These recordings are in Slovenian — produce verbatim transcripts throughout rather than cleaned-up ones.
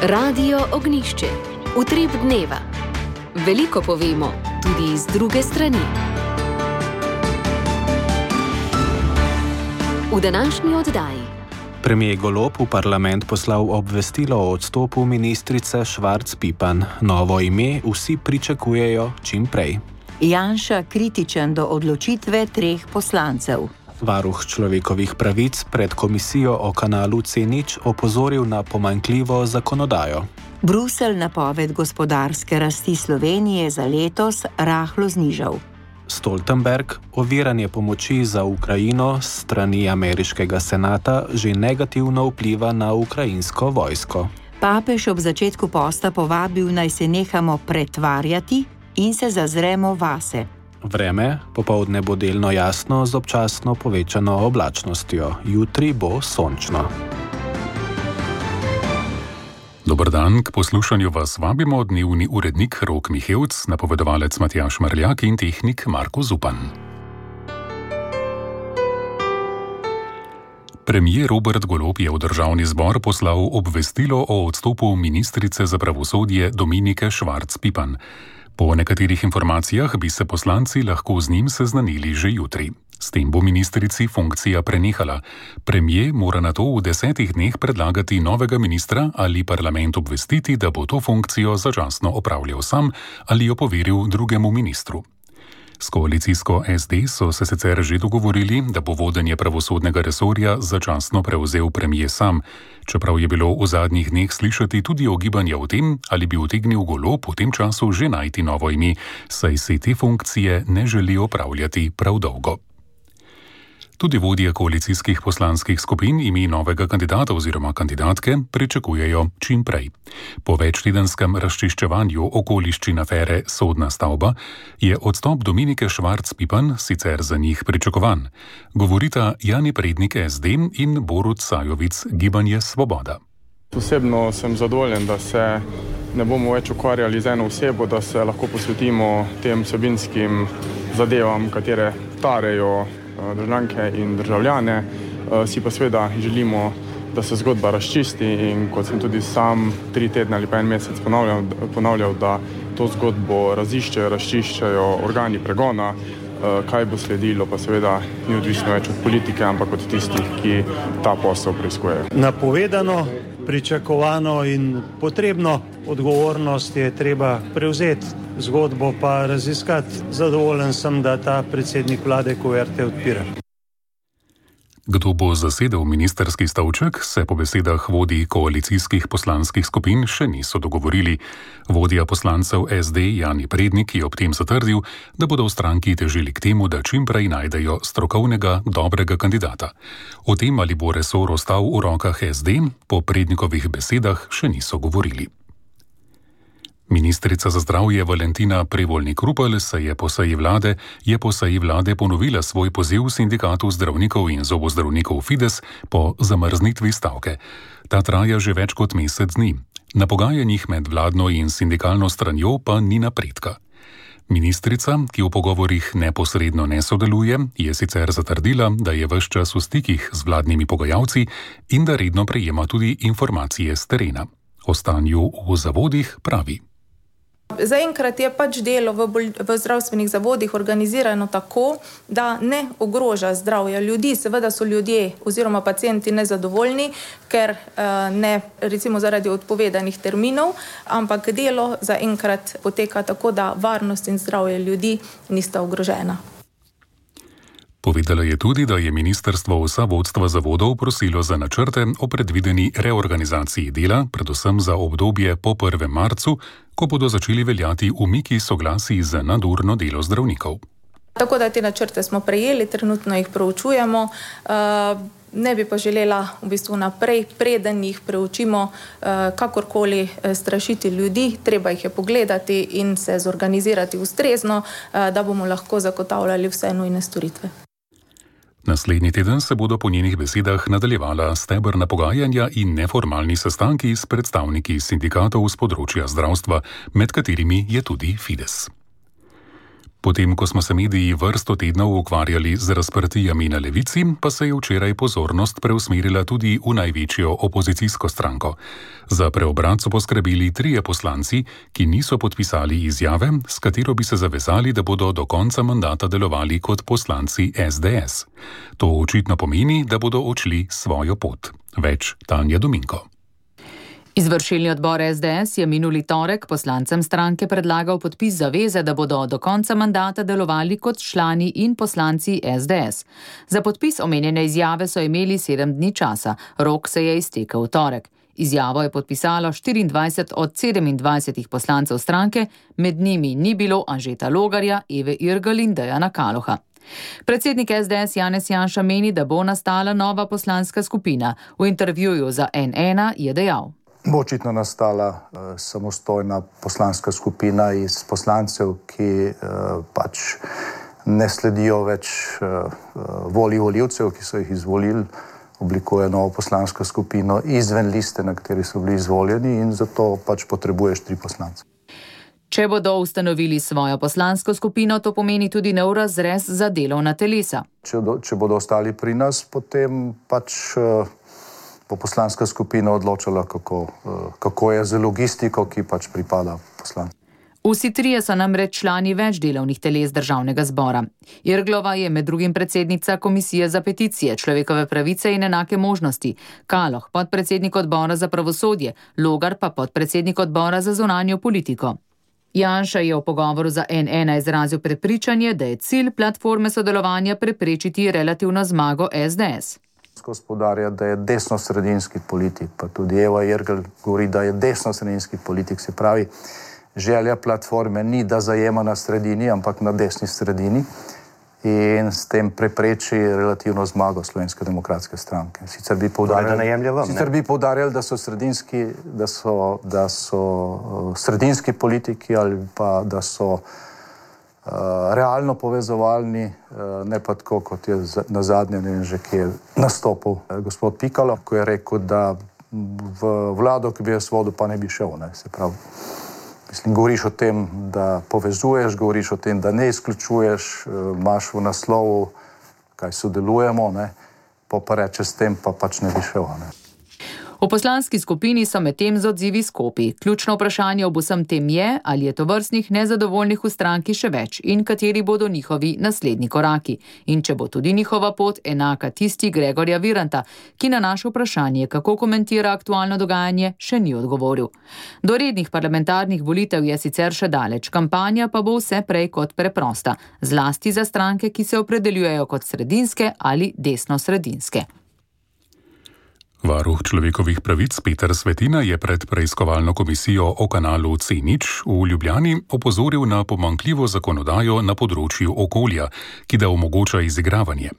Radio Ognjišče. Utrip dneva. Veliko povemo, tudi iz druge strani. V današnji oddaji. Premier Golob v parlament poslal obvestilo o odstopu ministrice Švarc Pipan. Novo ime vsi pričakujejo čim prej. Janša kritičen do odločitve treh poslancev. Varuh človekovih pravic pred komisijo o kanalu C nič opozoril na pomanjkljivo zakonodajo. Bruselj napoved gospodarske rasti Slovenije za letos rahlo znižal. Stoltenberg, oviranje pomoči za Ukrajino s strani ameriškega senata že negativno vpliva na ukrajinsko vojsko. Papež ob začetku posta povabil, naj se nehamo pretvarjati in se zazremo vase. Vreme, popoldne bo delno jasno z občasno povečano oblačnostjo. Jutri bo sončno. Dober dan, k poslušanju vas vabimo dnevni urednik Rok Mihevc, napovedovalec Matjaž Marljak in tehnik Marko Zupan. Premier Robert Golob je v državni zbor poslal obvestilo o odstopu ministrice za pravosodje Dominike Švarc Pipan. Po nekaterih informacijah bi se poslanci lahko z njim seznanili že jutri. S tem bo ministrici funkcija prenehala. Premier mora nato v desetih dneh predlagati novega ministra ali parlament obvestiti, da bo to funkcijo začasno opravljal sam ali jo poveril drugemu ministru. S koalicijsko S D so se sicer že dogovorili, da bo vodenje pravosodnega resorja začasno prevzel premier sam, čeprav je bilo v zadnjih dneh slišati tudi ogibanja o tem, ali bi utegnil Golob v tem času že najti novo ime, saj se te funkcije ne želi opravljati prav dolgo. Tudi vodje koalicijskih poslanskih skupin ime novega kandidata oziroma kandidatke pričakujejo čim prej. Po večtedenskem razčiščevanju okoliščin afere Sodna stavba je odstop Dominike Švarc Pipan sicer za njih pričakovan. Govorita Jani Prednik S D in Borut Sajovic Gibanje Svoboda. Osebno sem zadovoljen, da se ne bomo več ukvarjali z eno osebo, da se lahko posvetimo tem vsebinskim zadevam, katere tarejo državljanke in državljane. Si pa seveda želimo, da se zgodba razčisti in kot sem tudi sam tri tedne ali pa en mesec ponavljal, ponavljal da to zgodbo raziščejo, razčiščajo organi pregona. Kaj bo sledilo, pa seveda ni odvisno več od politike, ampak od tistih, ki ta posel preiskujejo. Napovedano, pričakovano in potrebno odgovornost je treba prevzeti, zgodbo pa raziskati. Zadovoljen sem, da ta predsednik vlade kuverte odpira. Kdo bo zasedel ministerski stolček, se po besedah vodij koalicijskih poslanskih skupin še niso dogovorili. Vodja poslancev S D Jani Prednik je ob tem zatrdil, da bodo v stranki težili k temu, da čim prej najdejo strokovnega, dobrega kandidata. O tem, ali bo resor ostal v rokah S D, po Prednikovih besedah še niso govorili. Ministrica za zdravje Valentina Prevolnik-Rupel se je po seji vlade, je po seji vlade ponovila svoj poziv sindikatu zdravnikov in zobozdravnikov Fides po zamrznitvi stavke. Ta traja že več kot mesec dni. Na pogajanjih med vladno in sindikalno stranjo pa ni napredka. Ministrica, ki v pogovorih neposredno ne sodeluje, je sicer zatrdila, da je ves čas v stikih z vladnimi pogajalci in da redno prejema tudi informacije z terena. O stanju v zavodih pravi. Zaenkrat je pač delo v, bolj, v zdravstvenih zavodih organizirano tako, da ne ogroža zdravja ljudi. Seveda so ljudje oziroma pacienti nezadovoljni, ker uh, ne recimo zaradi odpovedanih terminov, ampak delo zaenkrat poteka tako, da varnost in zdravje ljudi nista ogrožena. Povedala je tudi, da je ministrstvo vsa vodstva zavodov prosilo za načrte o predvideni reorganizaciji dela, predvsem za obdobje po prvem marcu, ko bodo začeli veljati umiki soglasij za nadurno delo zdravnikov. Tako da te načrte smo prejeli, trenutno jih proučujemo. Ne bi pa želela v bistvu naprej, preden jih preučimo, kakorkoli strašiti ljudi. Treba jih je pogledati in se zorganizirati ustrezno, da bomo lahko zagotavljali vse nujne storitve. Naslednji teden se bodo po njenih besedah nadaljevala stebrna pogajanja in neformalni sestanki s predstavniki sindikatov z področja zdravstva, med katerimi je tudi Fides. Potem, ko smo se mediji vrsto tednov ukvarjali z razprtijami na levici, pa se je včeraj pozornost preusmerila tudi v največjo opozicijsko stranko. Za preobrat so poskrbeli trije poslanci, ki niso podpisali izjave, s katero bi se zavezali, da bodo do konca mandata delovali kot poslanci es de es. To očitno pomeni, da bodo odšli svojo pot. Več Tanja Dominko. Izvršilni odbor es de es je minuli torek poslancem stranke predlagal podpis zaveze, da bodo do konca mandata delovali kot člani in poslanci es de es. Za podpis omenjene izjave so imeli sedem dni časa, rok se je iztekel v torek. Izjavo je podpisalo štiriindvajset od sedemindvajsetih poslancev stranke, med njimi ni bilo Anžeta Logarja, Eve Irgl in Dejana Kaloha. Predsednik es de es Janez Janša meni, da bo nastala nova poslanska skupina. V intervjuju za en ena je dejal: Bo očitno nastala uh, samostojna poslanska skupina iz poslancev, ki uh, pač ne sledijo več uh, volji volivcev, ki so jih izvolili, oblikuje novo poslansko skupino izven liste, na kateri so bili izvoljeni, in zato pač potrebuješ tri poslance. Če bodo ustanovili svojo poslansko skupino, to pomeni tudi nov razrez za delovna telesa. Če, do, če bodo ostali pri nas, potem pač uh, bo poslanska skupina odločila, kako, kako je z logistiko, ki pač pripada poslancem. Vsi trije so namreč člani več delovnih teles državnega zbora. Irglova je med drugim predsednica Komisije za peticije, človekove pravice in enake možnosti, Kaloh podpredsednik odbora za pravosodje, Logar pa podpredsednik odbora za zunanjo politiko. Janša je v pogovoru za en ena izrazil prepričanje, da je cilj platforme sodelovanja preprečiti relativno zmago es de es. Gospodarja, da je desno-sredinski politik, pa tudi Eva Irgl govori, da je desno-sredinski politik, se pravi, želja platforme ni, da zajema na sredini, ampak na desni sredini in s tem prepreči relativno zmago Slovenske demokratske stranke. Sicer bi poudarjali, vam, sicer bi poudarjali da so sredinski, da so, da so uh, sredinski politiki ali pa da so Uh, realno povezovalni, uh, ne pa tako, kot je na zadnje, ne vem že, ki je nastopil uh, gospod Pikalo, ko je rekel, da v vlado, ki bi jaz vodil, pa ne bi šel. Ne? Se pravi, mislim, govoriš o tem, da povezuješ, govoriš o tem, da ne izključuješ, uh, imaš v naslovu, kaj sodelujemo, ne? Pa pa rečeš s tem, pa pač ne bi šel. Ne? V poslanski skupini so medtem z odzivi skopi. Ključno vprašanje ob vsem tem je, ali je tovrstnih nezadovoljnih v stranki še več in kateri bodo njihovi naslednji koraki. In če bo tudi njihova pot enaka tisti Gregorja Viranta, ki na naše vprašanje, kako komentira aktualno dogajanje, še ni odgovoril. Do rednih parlamentarnih volitev je sicer še daleč, kampanja pa bo vse prej kot preprosta, zlasti za stranke, ki se opredeljujejo kot sredinske ali desno-sredinske. Varuh človekovih pravic Peter Svetina je pred preiskovalno komisijo o kanalu C nič v Ljubljani opozoril na pomanjkljivo zakonodajo na področju okolja, ki da omogoča izigravanje.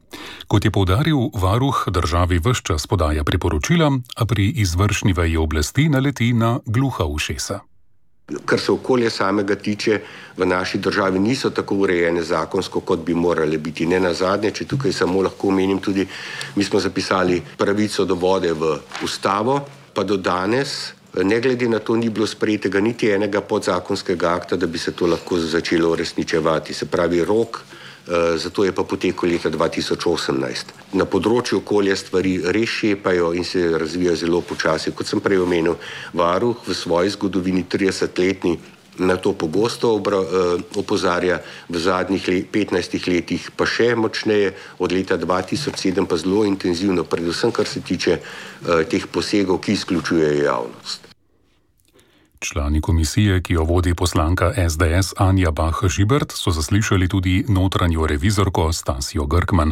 Kot je poudaril, varuh državi ves čas podaja priporočila, a pri izvršni veji oblasti naleti na gluha ušesa. Kar se okolja samega tiče, v naši državi niso tako urejene zakonsko, kot bi morale biti. Ne nazadnje, če tukaj samo lahko omenim tudi, mi smo zapisali pravico do vode v ustavo, pa do danes, ne glede na to, ni bilo sprejetega niti enega podzakonskega akta, da bi se to lahko začelo uresničevati. Se pravi, rok, zato je pa potekel leta dva tisoč osemnajst. Na področju okolja stvari res šepajo in se razvijajo zelo počasi. Kot sem prej omenil, varuh v svoji zgodovini tridesetletni na to pogosto obra, opozarja, v zadnjih let, petnajstih letih pa še močneje, od leta dva tisoč sedem pa zelo intenzivno, predvsem kar se tiče teh posegov, ki izključujejo javnost. Člani komisije, ki jo vodi poslanka es de es Anja Bah Žibert, so zaslišali tudi notranjo revizorko Stasijo Grkman.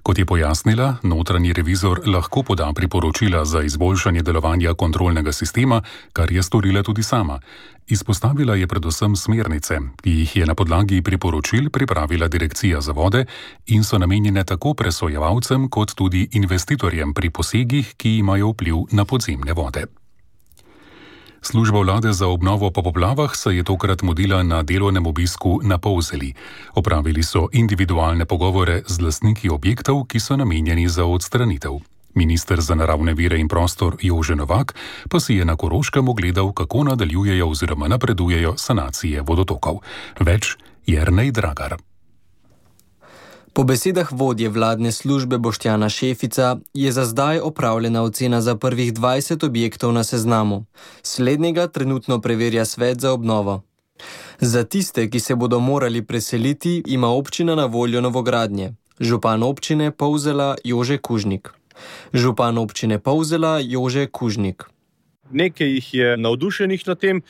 Kot je pojasnila, notranji revizor lahko poda priporočila za izboljšanje delovanja kontrolnega sistema, kar je storila tudi sama. Izpostavila je predvsem smernice, ki jih je na podlagi priporočil pripravila Direkcija za vode in so namenjene tako presojevalcem kot tudi investitorjem pri posegih, ki imajo vpliv na podzemne vode. Služba vlade za obnovo po poplavah se je tokrat mudila na delovnem obisku na Polzeli. Opravili so individualne pogovore z lastniki objektov, ki so namenjeni za odstranitev. Minister za naravne vire in prostor Jože Novak pa si je na Koroškem ogledal, kako nadaljujejo oziroma napredujejo sanacije vodotokov. Več Jernej Dragar. Po besedah vodje vladne službe Boštjana Šefica je za zdaj opravljena ocena za prvih dvajset objektov na seznamu. Slednjega trenutno preverja svet za obnovo. Za tiste, ki se bodo morali preseliti, ima občina na voljo novogradnje. Župan občine Polzela Jože Kužnik. Župan občine Polzela Jože Kužnik. Nekaj jih je navdušenih na tem,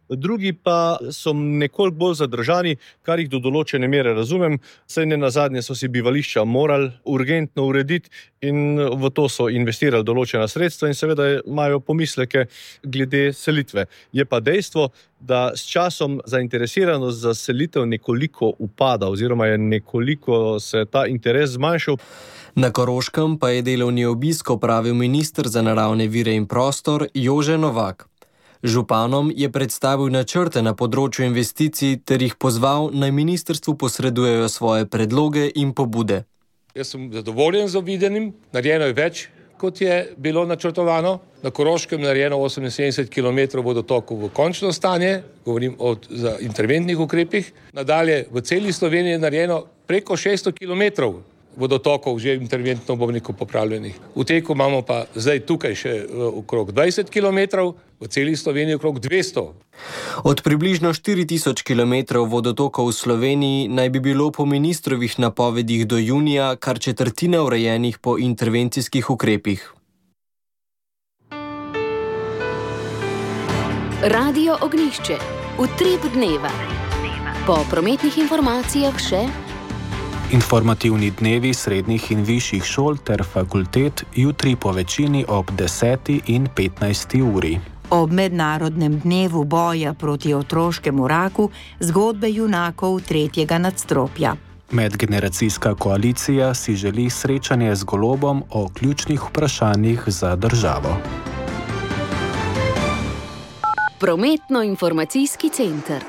drugi pa so nekoliko bolj zadržani, kar jih do določene mere razumem, saj ne nazadnje so si bivališča morali urgentno urediti in v to so investirali določena sredstva in seveda imajo pomisleke glede selitve. Je pa dejstvo, da s časom zainteresiranost za selitev nekoliko upada oziroma je nekoliko se ta interes zmanjšal. Na Koroškem pa je delovni obisk opravil minister za naravne vire in prostor Jože Novak. Županom je predstavil načrte na področju investicij ter jih pozval, naj ministrstvu posredujejo svoje predloge in pobude. Jaz sem zadovoljen z videnim, narejeno je več, kot je bilo načrtovano. Na Koroškem narejeno oseminsedemdeset kilometrov vodotokov v končno stanje, govorim o za interventnih ukrepih. Nadalje v celi Sloveniji je narejeno preko šeststo kilometrov vodotokov že interventno bom rekel popravljenih. V teku imamo pa zdaj tukaj še okrog dvajset kilometrov, v celi Sloveniji okrog dvesto. Od približno štiri tisoč kilometrov vodotokov v Sloveniji naj bi bilo po ministrovih napovedih do junija kar četrtina urejenih po intervencijskih ukrepih. Radio Ognjišče. Utrip dneva. Po prometnih informacijah še informativni dnevi srednjih in višjih šol ter fakultet jutri po večini ob deseti in petnajsti uri. Ob mednarodnem dnevu boja proti otroškemu raku zgodbe junakov tretjega nadstropja. Medgeneracijska koalicija si želi srečanje z Golobom o ključnih vprašanjih za državo. Prometno-informacijski center.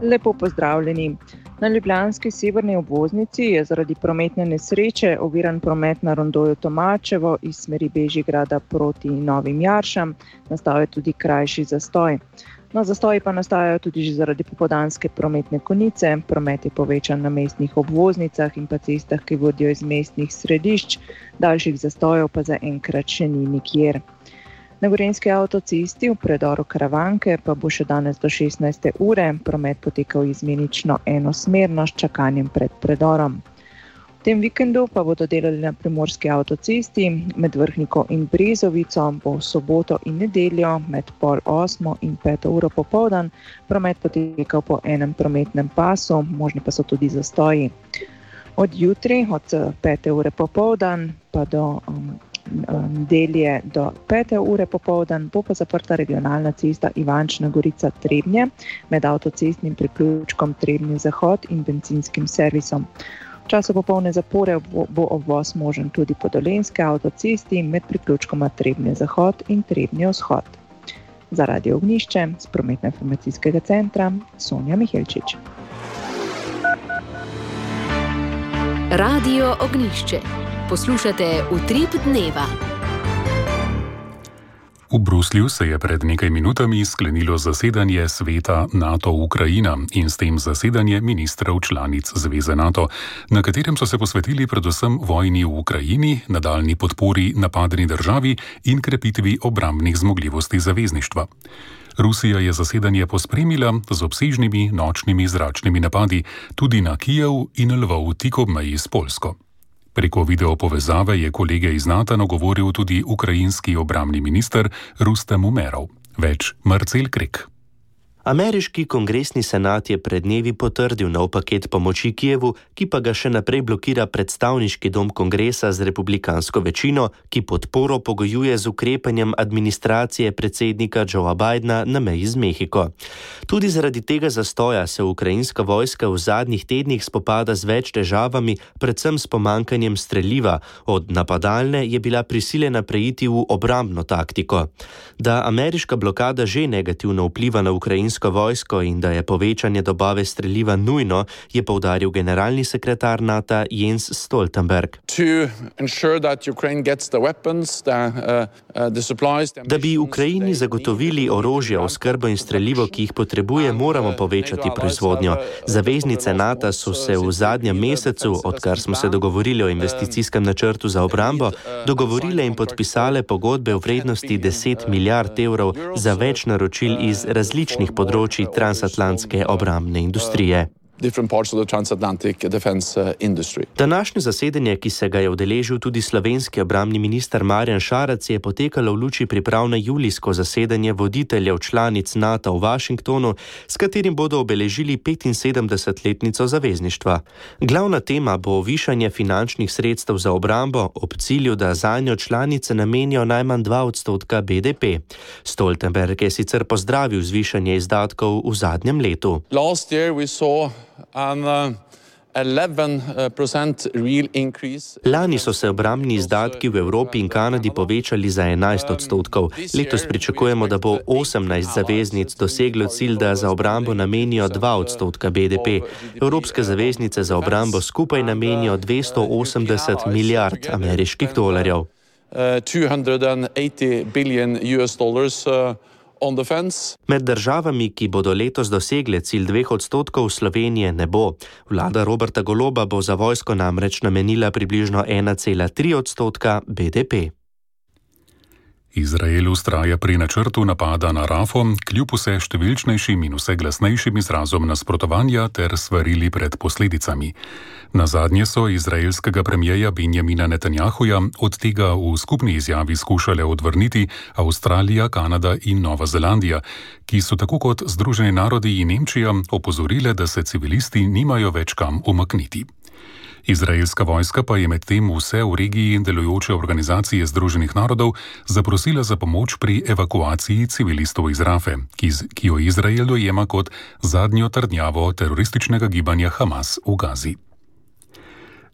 Lepo pozdravljeni. Na ljubljanski severni obvoznici je zaradi prometne nesreče oviran promet na rondoju Tomačevo iz smeri Bežigrada proti Novim Jaršam. Nastal je tudi krajši zastoj. No, zastoji pa nastajajo tudi že zaradi popoldanske prometne konice. Promet je povečan na mestnih obvoznicah in pa cestah, ki vodijo iz mestnih središč. Daljših zastojev pa zaenkrat še ni nikjer. Na gorenjski avtocesti v predoru Karavanke pa bo še danes do šestnajste ure promet potekal izmenično enosmerno s čakanjem pred predorom. V tem vikendu pa bodo delali na primorski avtocesti med Vrhniko in Brezovico, bo v soboto in nedeljo med pol osmo in peto uro popoldan promet potekal po enem prometnem pasu, možni pa so tudi zastoji. Od jutri, od pete ure popoldan pa do um, nedelje do pete ure popoldan bo pa zaprta regionalna cesta Ivančna Gorica Trebnje med avtocestnim priključkom Trebnje Zahod in bencinskim servisom. V času popolne zapore bo obvoz možen tudi po dolenjski avtocesti med priključkoma Trebnje Zahod in Trebnje Vzhod. Za Radio Ognjišče z prometno-informacijskega centra Sonja Mihelčič. Radio Ognjišče. Poslušate Utrip dneva. V Bruslju se je pred nekaj minutami sklenilo zasedanje sveta NATO-Ukrajina in s tem zasedanje ministrov članic Zveze NATO, na katerem so se posvetili predvsem vojni v Ukrajini, nadaljnji podpori napadeni državi in krepitvi obrambnih zmogljivosti zavezništva. Rusija je zasedanje pospremila z obsežnimi nočnimi zračnimi napadi tudi na Kijev in Lvov tik ob meji s Poljsko. Preko videopovezave je kolege iz NATO nagovoril tudi ukrajinski obrambni minister Rustem Umerov. Več Marcel Krek. Ameriški kongresni senat je pred dnevi potrdil nov paket pomoči Kijevu, ki pa ga še naprej blokira predstavniški dom kongresa z republikansko večino, ki podporo pogojuje z ukrepanjem administracije predsednika Joea Bidena na meji z Mehiko. Tudi zaradi tega zastoja se ukrajinska vojska v zadnjih tednih spopada z več težavami, predvsem s pomankanjem streliva. Od napadalne je bila prisiljena preiti v obrambno taktiko. Da ameriška blokada že negativno vpliva na ukrajinsko ukrajinsko vojsko in da je povečanje dobave streliva nujno, je poudaril generalni sekretar NATO Jens Stoltenberg. Da bi Ukrajini zagotovili orožje, oskrbo in strelivo, ki jih potrebuje, moramo povečati proizvodnjo. Zaveznice NATO so se v zadnjem mesecu, odkar smo se dogovorili o investicijskem načrtu za obrambo, dogovorile in podpisale pogodbe v vrednosti deset milijard evrov za več naročil iz različnih področji transatlantske obrambne industrije. Današnje zasedanje, ki se ga je udeležil tudi slovenski obrambni minister Marjan Šarec, je potekalo v luči priprav na julijsko zasedanje voditeljev članic NATO v Washingtonu, s katerim bodo obeležili petinsedemdesetletnico zavezništva. Glavna tema bo višanje finančnih sredstev za obrambo ob cilju, da zanjo članice namenijo najmanj dva odstotka B D P. Stoltenberg je sicer pozdravil zvišanje izdatkov v zadnjem letu. Last year we saw an uh, eleven percent real increase. Lani so se obrambni izdatki v Evropi in Kanadi povečali za enajst odstotkov. Letos pričakujemo, da bo osemnajst zaveznic doseglo cilj, da za obrambo namenijo dva odstotka B D P. Evropske zaveznice za obrambo skupaj namenijo dvesto osemdeset milijard ameriških dolarjev. Uh, two hundred eighty billion U S dollars uh, Med državami, ki bodo letos dosegle cilj dveh odstotkov, Slovenije ne bo. Vlada Roberta Goloba bo za vojsko namreč namenila približno ena cela tri odstotka B D P. Izrael vztraja pri načrtu napada na Rafo, kljub vse številčnejšim in vse glasnejšim izrazom nasprotovanja ter svarili pred posledicami. Nazadnje so izraelskega premijeja Benjamina Netanjahuja od tega v skupni izjavi skušale odvrniti Avstralija, Kanada in Nova Zelandija, ki so tako kot Združeni narodi in Nemčija opozorile, da se civilisti nimajo več kam umakniti. Izraelska vojska pa je medtem vse v regiji delujoče organizacije Združenih narodov zaprosila za pomoč pri evakuaciji civilistov iz Rafe, ki, ki jo Izrael dojema kot zadnjo trdnjavo terorističnega gibanja Hamas v Gazi.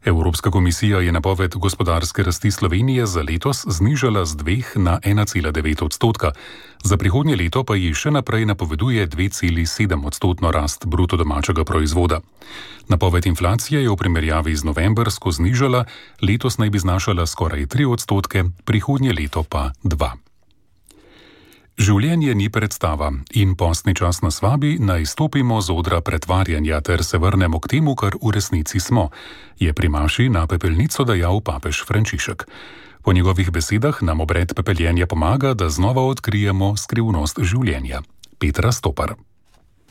Evropska komisija je napoved gospodarske rasti Slovenije za letos znižala z dveh na ena cela devet odstotka. Za prihodnje leto pa ji še naprej napoveduje dve celi sedem odstotno rast bruto domačega proizvoda. Napoved inflacije je v primerjavi z novembrsko znižala, letos naj bi znašala skoraj tri odstotke, prihodnje leto pa dva. Življenje ni predstava in postni čas nas vabi, naj stopimo z odra pretvarjanja ter se vrnemo k temu, kar v resnici smo, je pri maši na pepelnico dejal papež Frančišek. Po njegovih besedah nam obred pepeljenja pomaga, da znova odkrijemo skrivnost življenja. Petra Stopar.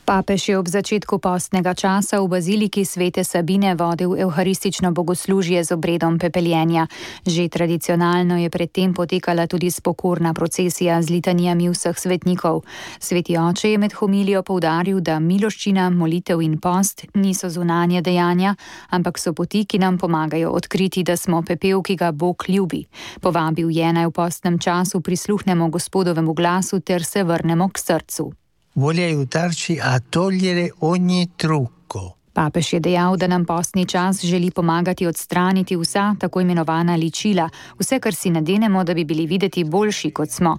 Papež je ob začetku postnega časa v baziliki Svete Sabine vodil evharistično bogoslužje z obredom pepeljenja. Že tradicionalno je predtem potekala tudi spokorna procesija z litanijami vseh svetnikov. Sveti oče je med homilijo poudaril, da miloščina, molitev in post niso zunanje dejanja, ampak so poti, ki nam pomagajo odkriti, da smo pepel, ki ga Bog ljubi. Povabil je, naj v postnem času prisluhnemo Gospodovemu glasu ter se vrnemo k srcu. Vuole aiutarci a togliere ogni trucco. Papež je dejal, da nam postni čas želi pomagati odstraniti vsa tako imenovana ličila, vse, kar si nadenemo, da bi bili videti boljši, kot smo.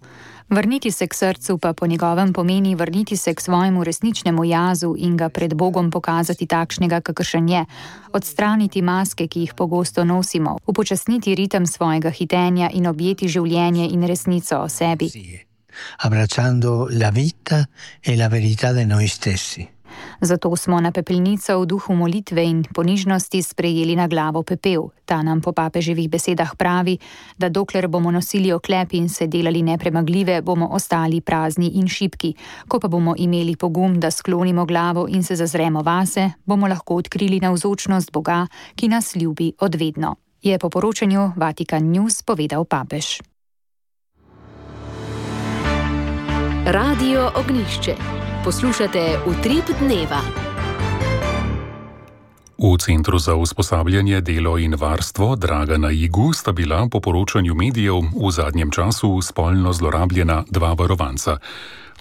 Vrniti se k srcu pa po njegovem pomeni vrniti se k svojemu resničnemu jazu in ga pred Bogom pokazati takšnega, kakršen je. Odstraniti maske, ki jih pogosto nosimo, upočasniti ritem svojega hitenja in objeti življenje in resnico o sebi. Abbracciando la vita e la verità di noi stessi. Zato smo na pepelnico v duhu molitve in ponižnosti sprejeli na glavo pepel. Ta nam po papeževih besedah pravi, da dokler bomo nosili oklep in se delali nepremagljive, bomo ostali prazni in šibki. Ko pa bomo imeli pogum, da sklonimo glavo in se zazremo vase, bomo lahko odkrili navzočnost Boga, ki nas ljubi odvedno. Je po poročanju Vatikan News povedal papež. Radio Ognjišče. Poslušate Utrip dneva. V Centru za usposabljanje, delo in varstvo Dragana Igu sta bila po poročanju medijev v zadnjem času spolno zlorabljena dva varovanca.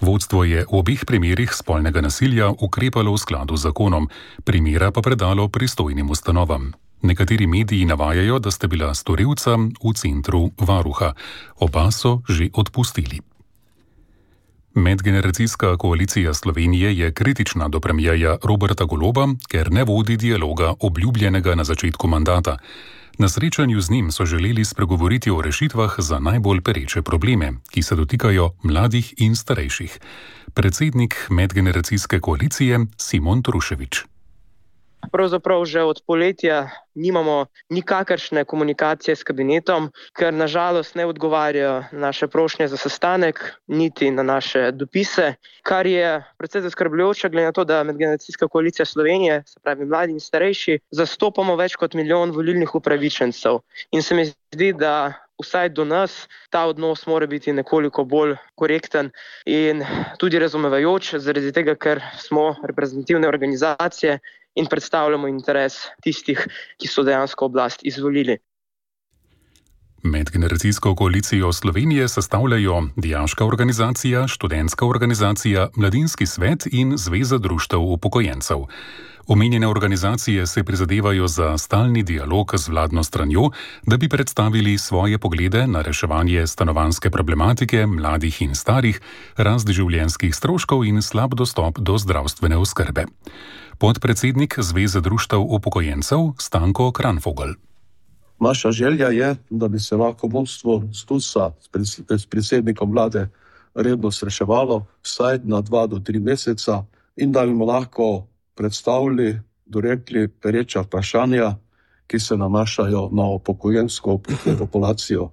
Vodstvo je v obeh primerih spolnega nasilja ukrepalo v skladu z zakonom, primera pa predalo pristojnim ustanovam. Nekateri mediji navajajo, da sta bila storilca v centru varuha. Oba so že odpustili. Medgeneracijska koalicija Slovenije je kritična do premierja Roberta Goloba, ker ne vodi dialoga obljubljenega na začetku mandata. Na srečanju z njim so želeli spregovoriti o rešitvah za najbolj pereče probleme, ki se dotikajo mladih in starejših. Predsednik medgeneracijske koalicije Simon Truševič. Pravzaprav že od poletja nimamo nikakršne komunikacije s kabinetom, ker nažalost ne odgovarjajo naše prošnje za sestanek, niti na naše dopise, kar je precej zaskrbljujoče, glede na to, da Medgeneracijska koalicija Slovenije, se pravi mladi in starejši, zastopamo več kot milijon volilnih upravičencev. In se mi zdi, da vsaj do nas ta odnos mora biti nekoliko bolj korekten in tudi razumevajoč, zaradi tega, ker smo reprezentativne organizacije in predstavljamo interes tistih, ki so dejansko oblast izvolili. Medgeneracijsko koalicijo Slovenije sestavljajo Dijaška organizacija, Študentska organizacija, Mladinski svet in Zveza društev upokojencev. Omenjene organizacije se prizadevajo za stalni dialog z vladno stranjo, da bi predstavili svoje poglede na reševanje stanovanjske problematike mladih in starih, rast življenjskih stroškov in slab dostop do zdravstvene oskrbe. Podpredsednik Zveze društev upokojencev Stanko Kranfogel. Naša želja je, da bi se lahko vodstvo STUS-a s predsednikom vlade redno srečevalo vsaj na dva do tri meseca in da bi mu lahko predstavili, dorekli pereča vprašanja, ki se nanašajo na upokojensko populacijo.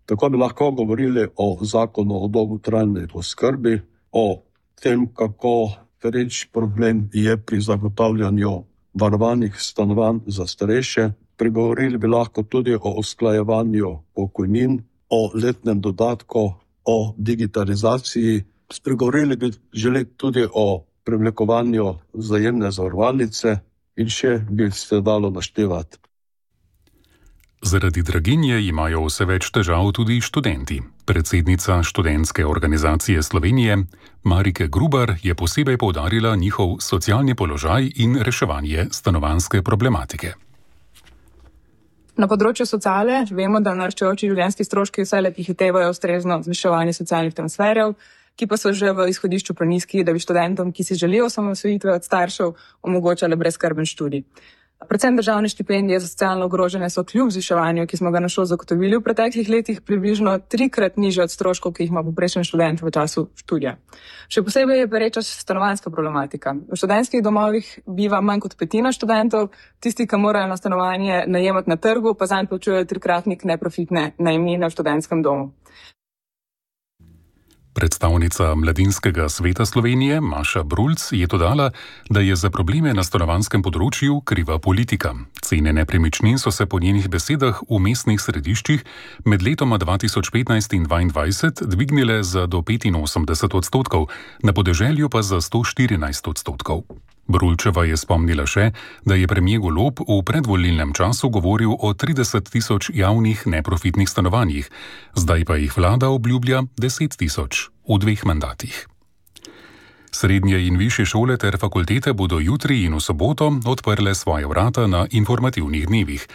Tako bi lahko govorili o zakonu o dolgotrajni oskrbi, o tem, kako pereč problem je pri zagotavljanju varovanih stanovanj za starejše. Pregovorili bi lahko tudi o usklajevanju pokojnin, o letnem dodatku, o digitalizaciji. Spregovorili bi želeli tudi o preoblikovanju vzajemne zavarovalnice in še bi se dalo naštevati. Zaradi draginje imajo vse več težav tudi študenti. Predsednica Študentske organizacije Slovenije Marike Grubar je posebej poudarila njihov socialni položaj in reševanje stanovanjske problematike. Na področju sociale vemo, da naraščajoči življenjski stroški vse le prehitevajo ustrezno zviševanje socialnih transferjev, ki pa so že v izhodišču prenizki, da bi študentom, ki si želijo osamosvojitve od staršev, omogočale brezskrben študij. Predvsem državne štipendije za socialno ogrožene so kljub zviševanju, ki smo ga na šolo zagotovili v preteklih letih, približno trikrat nižje od stroškov, ki jih ima povprečen študent v času študija. Še posebej je pereča stanovanjska problematika. V študentskih domovih biva manj kot petina študentov, tisti, ki morajo na stanovanje najemati na trgu, pa zanj plačujejo trikratnik neprofitne najemnine v študentskem domu. Predstavnica Mladinskega sveta Slovenije Maša Brulc je dodala, da je za probleme na stanovanjskem področju kriva politika. Cene nepremičnin so se po njenih besedah v mestnih središčih med letoma dva tisoč petnajst in dvaindvajset dvignile za do petinosemdeset odstotkov, na podeželju pa za sto štirinajst odstotkov. Brulčeva je spomnila še, da je premier Golob v predvolilnem času govoril o trideset tisoč javnih neprofitnih stanovanjih, zdaj pa jih vlada obljublja deset tisoč v dveh mandatih. Srednje in višje šole ter fakultete bodo jutri in v soboto odprle svoje vrata na informativnih dnevih.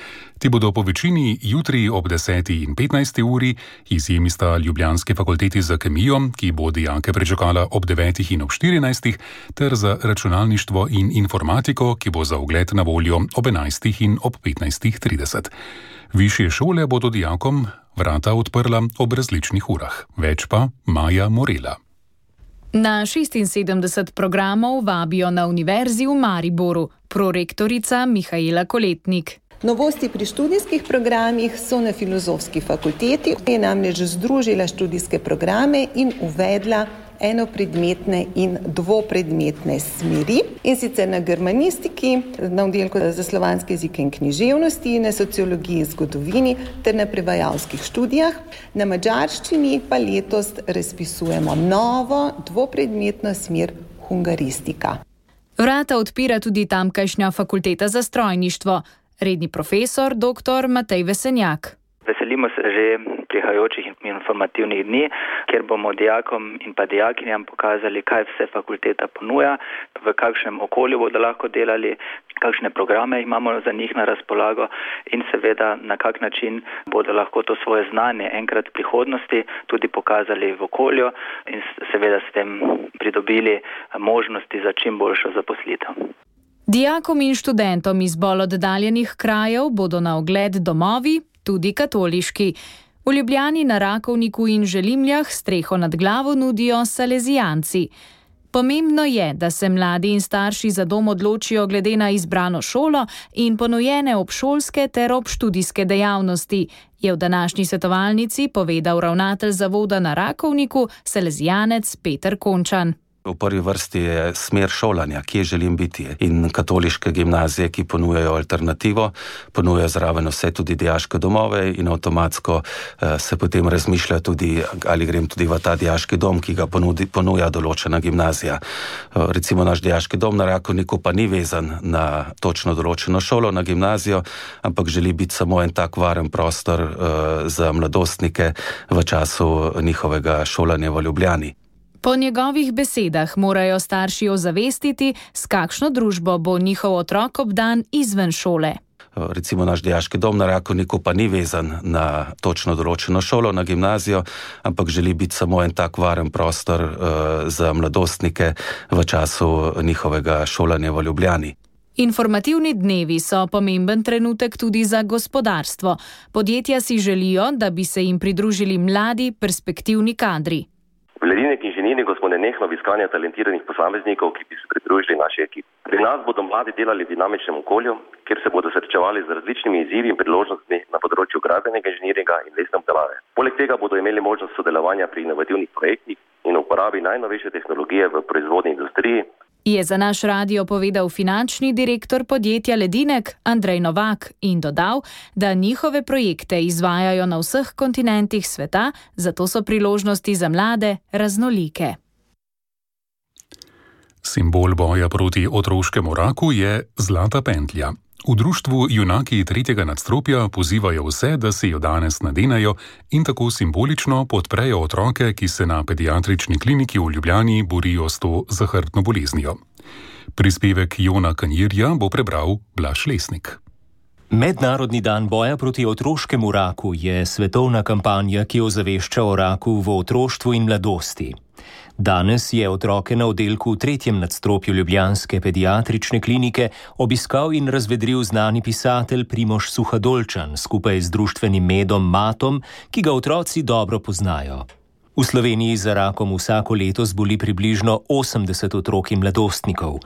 Ti bodo po večini jutri ob deseti in petnajsti uri, izjemi sta ljubljanski fakulteti za kemijo, ki bo dijake pričakala ob devetih in ob štirinajstih, ter za računalništvo in informatiko, ki bo za ogled na voljo ob enajstih in ob petnajstih trideset. Višje šole bodo dijakom vrata odprla ob različnih urah. Več pa Maja Morela. Na šestinsedemdeset programov vabijo na Univerzi v Mariboru, prorektorica Mihaela Koletnik. Novosti pri študijskih programih so na Filozofski fakulteti, ki je namreč združila študijske programe in uvedla enopredmetne in dvopredmetne smeri, in sicer na germanistiki, na oddelku za slovanske jezike in književnosti, na sociologiji in zgodovini ter na prevajalskih študijah. Na madžarščini pa letos razpisujemo novo dvopredmetno smer hungaristika. Vrata odpira tudi tamkajšnja fakulteta za strojništvo. Redni profesor dr. Matej Vesenjak. Veselimo se že prihajajočih informativnih dni, kjer bomo dijakom in pa dijakinjam pokazali, kaj vse fakulteta ponuja, v kakšnem okolju bodo lahko delali, kakšne programe imamo za njih na razpolago in seveda na kak način bodo lahko to svoje znanje enkrat v prihodnosti tudi pokazali v okolju in seveda s tem pridobili možnosti za čim boljšo zaposlitev. Dijakom in študentom iz bolj oddaljenih krajev bodo na ogled domovi, tudi katoliški. V Ljubljani, na Rakovniku in Želimljah streho nad glavo nudijo salezijanci. Pomembno je, da se mladi in starši za dom odločijo glede na izbrano šolo in ponujene obšolske ter obštudijske dejavnosti, je v današnji svetovalnici povedal ravnatelj zavoda na Rakovniku, salezijanec Peter Končan. V prvi vrsti je smer šolanja, kje želim biti. In katoliške gimnazije, ki ponujajo alternativo, ponujajo zraven vse tudi dijaške domove in avtomatsko eh, se potem razmišlja tudi, ali grem tudi v ta dijaški dom, ki ga ponudi, ponuja določena gimnazija. Eh, recimo naš dijaški dom na Rakovniku pa ni vezan na točno določeno šolo, na gimnazijo, ampak želi biti samo en tak varen prostor eh, za mladostnike v času njihovega šolanja v Ljubljani. Po njegovih besedah morajo starši ozavestiti, s kakšno družbo bo njihov otrok obdan izven šole. Recimo naš dijaški dom na Rakovniku pa ni vezan na točno določeno šolo, na gimnazijo, ampak želi biti samo en tak varen prostor uh, za mladostnike v času njihovega šolanja v Ljubljani. Informativni dnevi so pomemben trenutek tudi za gospodarstvo. Podjetja si želijo, da bi se jim pridružili mladi, perspektivni kadri. V Ledinek inženiringu smo nenehno v iskanju talentiranih posameznikov, ki bi se pridružili naši ekipi. Pri nas bodo mladi delali v dinamičnem okolju, kjer se bodo srečevali z različnimi izzivi in priložnostmi na področju gradbenega inženiringa in lesne obdelave. Poleg tega bodo imeli možnost sodelovanja pri inovativnih projektih in uporabi najnovejše tehnologije v proizvodni industriji. Je za naš radio povedal finančni direktor podjetja Ledinek Andrej Novak in dodal, da njihove projekte izvajajo na vseh kontinentih sveta, zato so priložnosti za mlade raznolike. Simbol boja proti otroškemu raku je zlata pentlja. V društvu Junaki tretjega nadstropja pozivajo vse, da se jo danes nadenejo in tako simbolično podprejo otroke, ki se na pediatrični kliniki v Ljubljani borijo s to zahrbtno boleznijo. Prispevek Jona Kanjirja bo prebral Blaž Lesnik. Mednarodni dan boja proti otroškemu raku je svetovna kampanja, ki ozavešča o raku v otroštvu in mladosti. Danes je otroke na oddelku v tretjem nadstropju ljubljanske pediatrične klinike obiskal in razvedril znani pisatelj Primož Suhadolčan skupaj z društvenim medom Matom, ki ga otroci dobro poznajo. V Sloveniji za rakom vsako leto zboli približno osemdeset otrok in mladostnikov.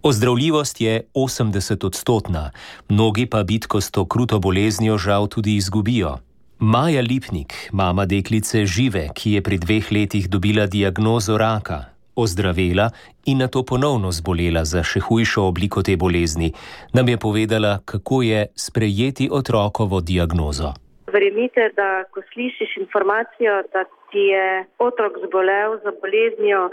Ozdravljivost je osemdeset odstotna, mnogi pa bitko s to kruto boleznijo žal tudi izgubijo. Maja Lipnik, mama deklice Žive, ki je pri dveh letih dobila diagnozo raka, ozdravela in nato ponovno zbolela za še hujšo obliko te bolezni, nam je povedala, kako je sprejeti otrokovo diagnozo. Verjemite, da ko slišiš informacijo, da ti je otrok zbolel za boleznijo,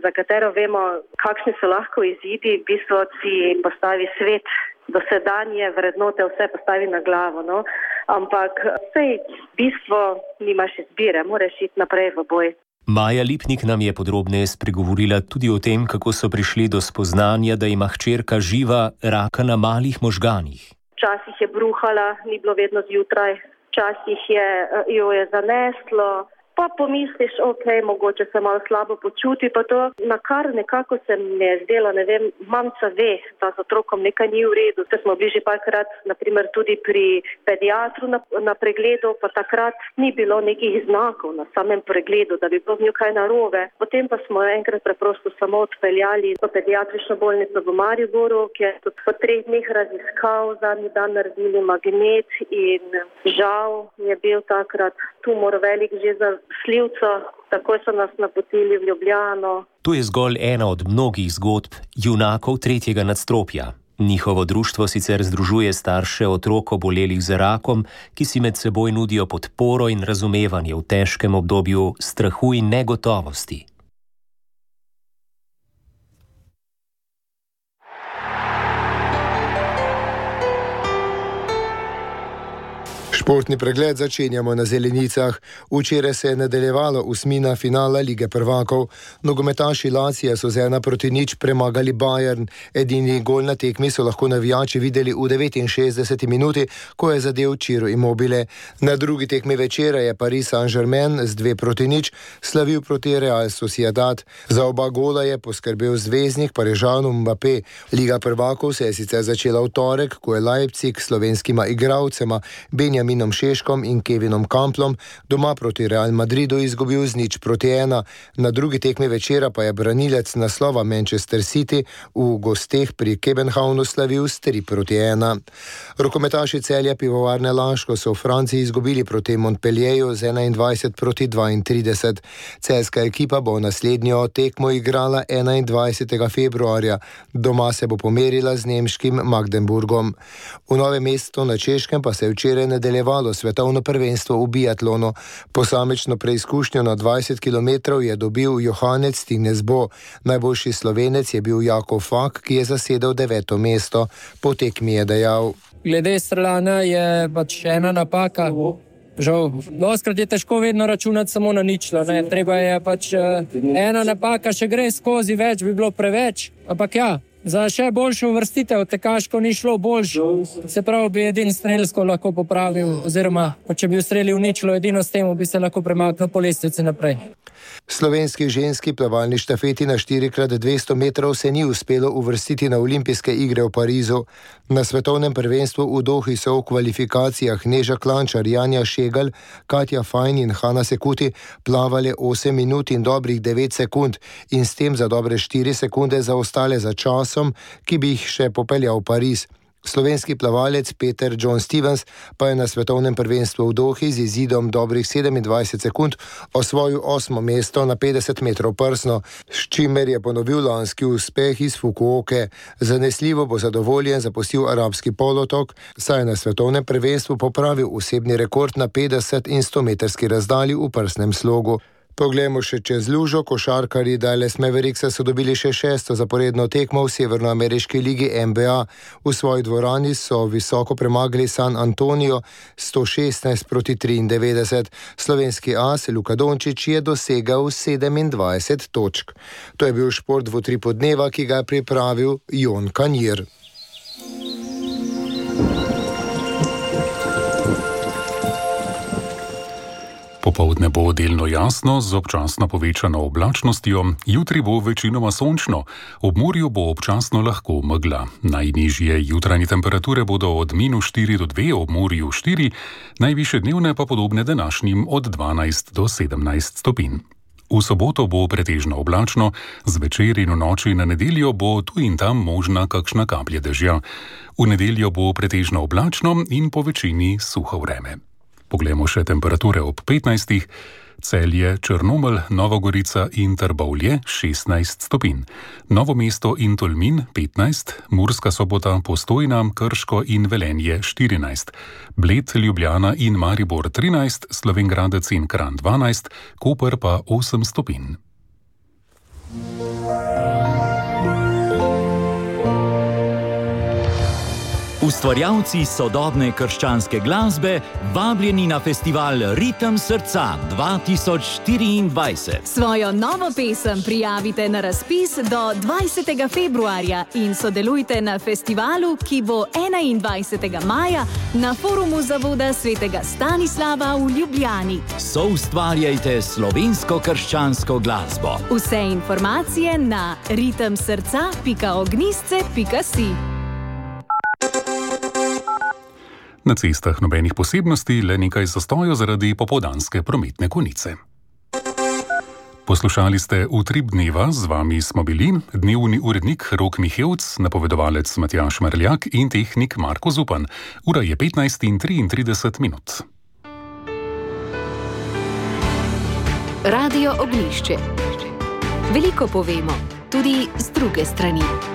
za katero vemo, kakšni so lahko izidi, v bistvu ti postavi svet, dosedanje vrednote vse postavi na glavo. No? Ampak sej bistvo nimaš izbire, moraš iti naprej v boj. Maja Lipnik nam je podrobneje spregovorila tudi o tem, kako so prišli do spoznanja, da ima hčerka Živa raka na malih možganih. Včasih je bruhala, ni bilo vedno zjutraj, včasih je, jo je zaneslo, pa pomisliš, ok, mogoče se malo slabo počuti, pa to na kar nekako se mi je zdelo, ne vem, mamca ve, da z otrokom nekaj ni v redu. Te smo bili že parkrat, naprimer tudi pri pediatru na, na pregledu, pa takrat ni bilo nekih znakov na samem pregledu, da bi bilo z njo kaj narobe. Potem pa smo enkrat preprosto samo odpeljali v pediatrično bolnico v Mariboru, ki je tudi po treh dneh raziskav, zadnji dan naredili magnet in žal je bil takrat tumor velik že za slivco, tako so nas napotili v Ljubljano. To je zgolj ena od mnogih zgodb junakov tretjega nadstropja. Njihovo društvo sicer združuje starše otrok obolelih za rakom, ki si med seboj nudijo podporo in razumevanje v težkem obdobju strahu in negotovosti. Športni pregled začenjamo na zelenicah. Včeraj se je nadaljevalo osmina finala Lige prvakov. Nogometaši Lacija so z ena proti nič premagali Bayern. Edini gol na tekmi so lahko navijači videli v devetinšestdeseti minuti, ko je zadel Ciro Immobile. Na drugi tekmi večera je Paris Saint-Germain z dve proti nič slavil proti Real Sociedad. Za oba gola je poskrbel zvezdnik Parižanu Mbappé. Liga prvakov se je sicer začela v torek, ko je Leipzig s slovenskima igralcema Benjaminom Šeškom in Kevinom Kamplom doma proti Real Madridu izgubil z nič proti ena. Na drugi tekmi večera pa je branilec naslova Manchester City v gosteh pri Kebenhavnu slavil s tri proti ena. Rokometaši Celja Pivovarne Laško so v Franciji izgubili proti Montpellierju z enaindvajset proti dvaintrideset. Celjska ekipa bo naslednjo tekmo igrala enaindvajsetega februarja. Doma se bo pomerila z nemškim Magdeburgom. V Novem mestu na Češkem pa se je včeraj nadaljevalo svetovno prvenstvo v biatlonu. Posamično preizkušnjo na dvajset kilometrov je dobil Johannes Tinesbo. Najboljši Slovenec je bil Jakov Fak, ki je zasedel deveto mesto. Po tekmi je dejal: Glede streljanja je pač ena napaka. Žal, doskrat je težko vedno računati samo na ničlo. Ne? Treba je pač ena napaka, še gre skozi, več bi bilo preveč. Ampak ja, za še boljšo uvrstitev tekaško ni šlo boljš. Se pravi, bi edin strelsko lahko popravil, oziroma če bi ustrelil ničlo, edino s tem bi se lahko premaknil po lestvici naprej. Slovenski ženski plavalni štafeti na štiri krat dvesto metrov se ni uspelo uvrstiti na olimpijske igre v Parizu. Na svetovnem prvenstvu v Dohi so v kvalifikacijah Neža Klančar, Janja Šegal, Katja Fajn in Hanna Sekuti plavale osem minut in dobrih devet sekund in s tem za dobre štiri sekunde zaostale za časom, ki bi jih še popeljal v Pariz. Slovenski plavalec Peter John Stevens pa je na svetovnem prvenstvu v Dohi z izidom dobrih sedemindvajset sekund osvojil osmo mesto na petdeset metrov prsno, s čimer je ponovil lanski uspeh iz Fukuoke. Zanesljivo bo zadovoljen zapustil arabski polotok, saj je na svetovnem prvenstvu popravil osebni rekord na petdeset in sto metrski razdalji v prsnem slogu. Poglejmo še čez lužo. Košarkarji Dallas Mavericks so dobili še šesto zaporedno tekmo v severnoameriški ligi N B A. V svoji dvorani so visoko premagali San Antonio sto šestnajst proti triindevetdeset. Slovenski as Luka Dončić je dosegal sedemindvajset točk. To je bil šport v utripu dneva, ki ga je pripravil Jon Kanjir. Popoldne bo delno jasno z občasno povečano oblačnostjo, jutri bo večinoma sončno, ob morju bo občasno lahko megla. Najnižje jutranje temperature bodo od minus štiri do dve, ob morju štiri, najvišje dnevne pa podobne današnjim od dvanajst do sedemnajst stopinj. V soboto bo pretežno oblačno, zvečer in v noči na nedeljo bo tu in tam možna kakšna kaplja dežja. V nedeljo bo pretežno oblačno in po večini suho vreme. Poglejmo še temperature ob petnajstih. Celje, Črnomelj, Nova Gorica in Trbovlje šestnajst stopinj. Novo mesto in Tolmin petnajst, Murska Sobota, Postojna, Krško in Velenje štirinajst. Bled, Ljubljana in Maribor trinajst, Slovenj Gradec in Kranj dvanajst, Koper pa osem stopinj. Ustvarjalci sodobne krščanske glasbe vabljeni na festival Ritem srca dva tisoč štiriindvajset. Svojo novo pesem prijavite na razpis do dvajsetega februarja in sodelujte na festivalu, ki bo enaindvajsetega maja na forumu Zavoda svetega Stanislava v Ljubljani. Soustvarjajte slovensko krščansko glasbo. Vse informacije na ritem srca pika ognjisce pika si. Na cestah nobenih posebnosti, le nekaj zastojev zaradi popoldanske prometne konice. Poslušali ste Utrip dneva, z vami smo bili dnevni urednik Rok Mihevc, napovedovalec Matjaž Marljak in tehnik Marko Zupan. Ura je petnajst in triintrideset minut. Radio Ognjišče. Veliko povemo, tudi z druge strani.